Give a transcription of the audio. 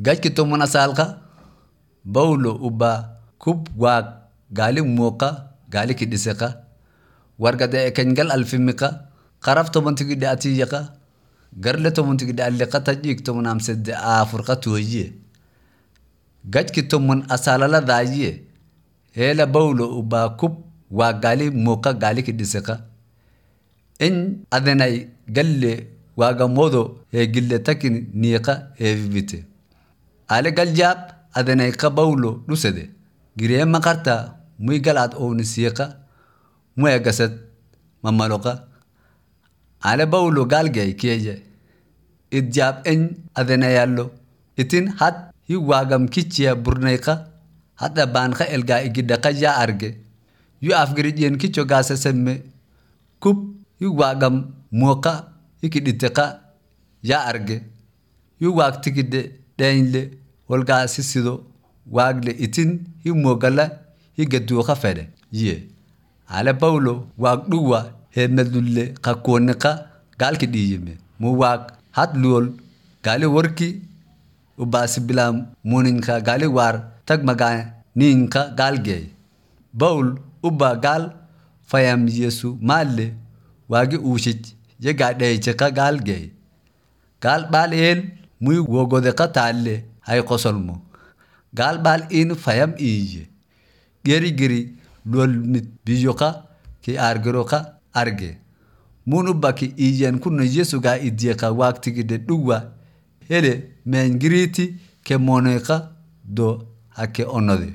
Gajki toman asalka Bawlo uba kub waag gaali muuqa gaali kidhiseqa wargade ekengal alfimiqa qaraf tobantigidhe atiyaqa garle tobantigidhe alliqa tajiik tomanamsede aafurqa tooyiye. Gajki toman asalala daayiye heela bawlo uba kub waag gaali muuqa gaali kidhiseqa in adenay galle waagamodo heegille takin niiqa heevivite. Ale galjaab adenayqa bawlo dhusede gireema qarta muy galaad ownisiiqa muegasad mamaloqa. Ale bawlo gaalgay kiyeje idjaab en adenayallo itin had hi waagam kichiya burnayqa hadda baanqa elgaa igidhaqa yaa arge yu afgirijeen kicho gaasesemme kub hi waagam muuqa hikidhiteqa yaa arge yu waag tigidhe dheenyle holgaasisido waagle itin hi moogala hi gaduuqa fedhe yiye. Ale bawlo waag dhuwa heemelulle kakkooniqa gaalki dhiiyime mu waag had luol gaali warki ubaasibilaam muninka gaali waar tag magaa niinka gaalgeey. Bawl uba gaal fayam yesu maalle waagi uushich yegaa dheecheqa gaalgeey. Gaal baal eel muy wogodeqa taalle hay qosolmo. Gaal baal in fayam iiye. Gerigiri luol mit biyoqa ki argeroqa arge. Mun uba ki iiyen kunno yesugaa idyeqa waagtigide dhuwa hele meengiriiti ke moneqa do hake onode.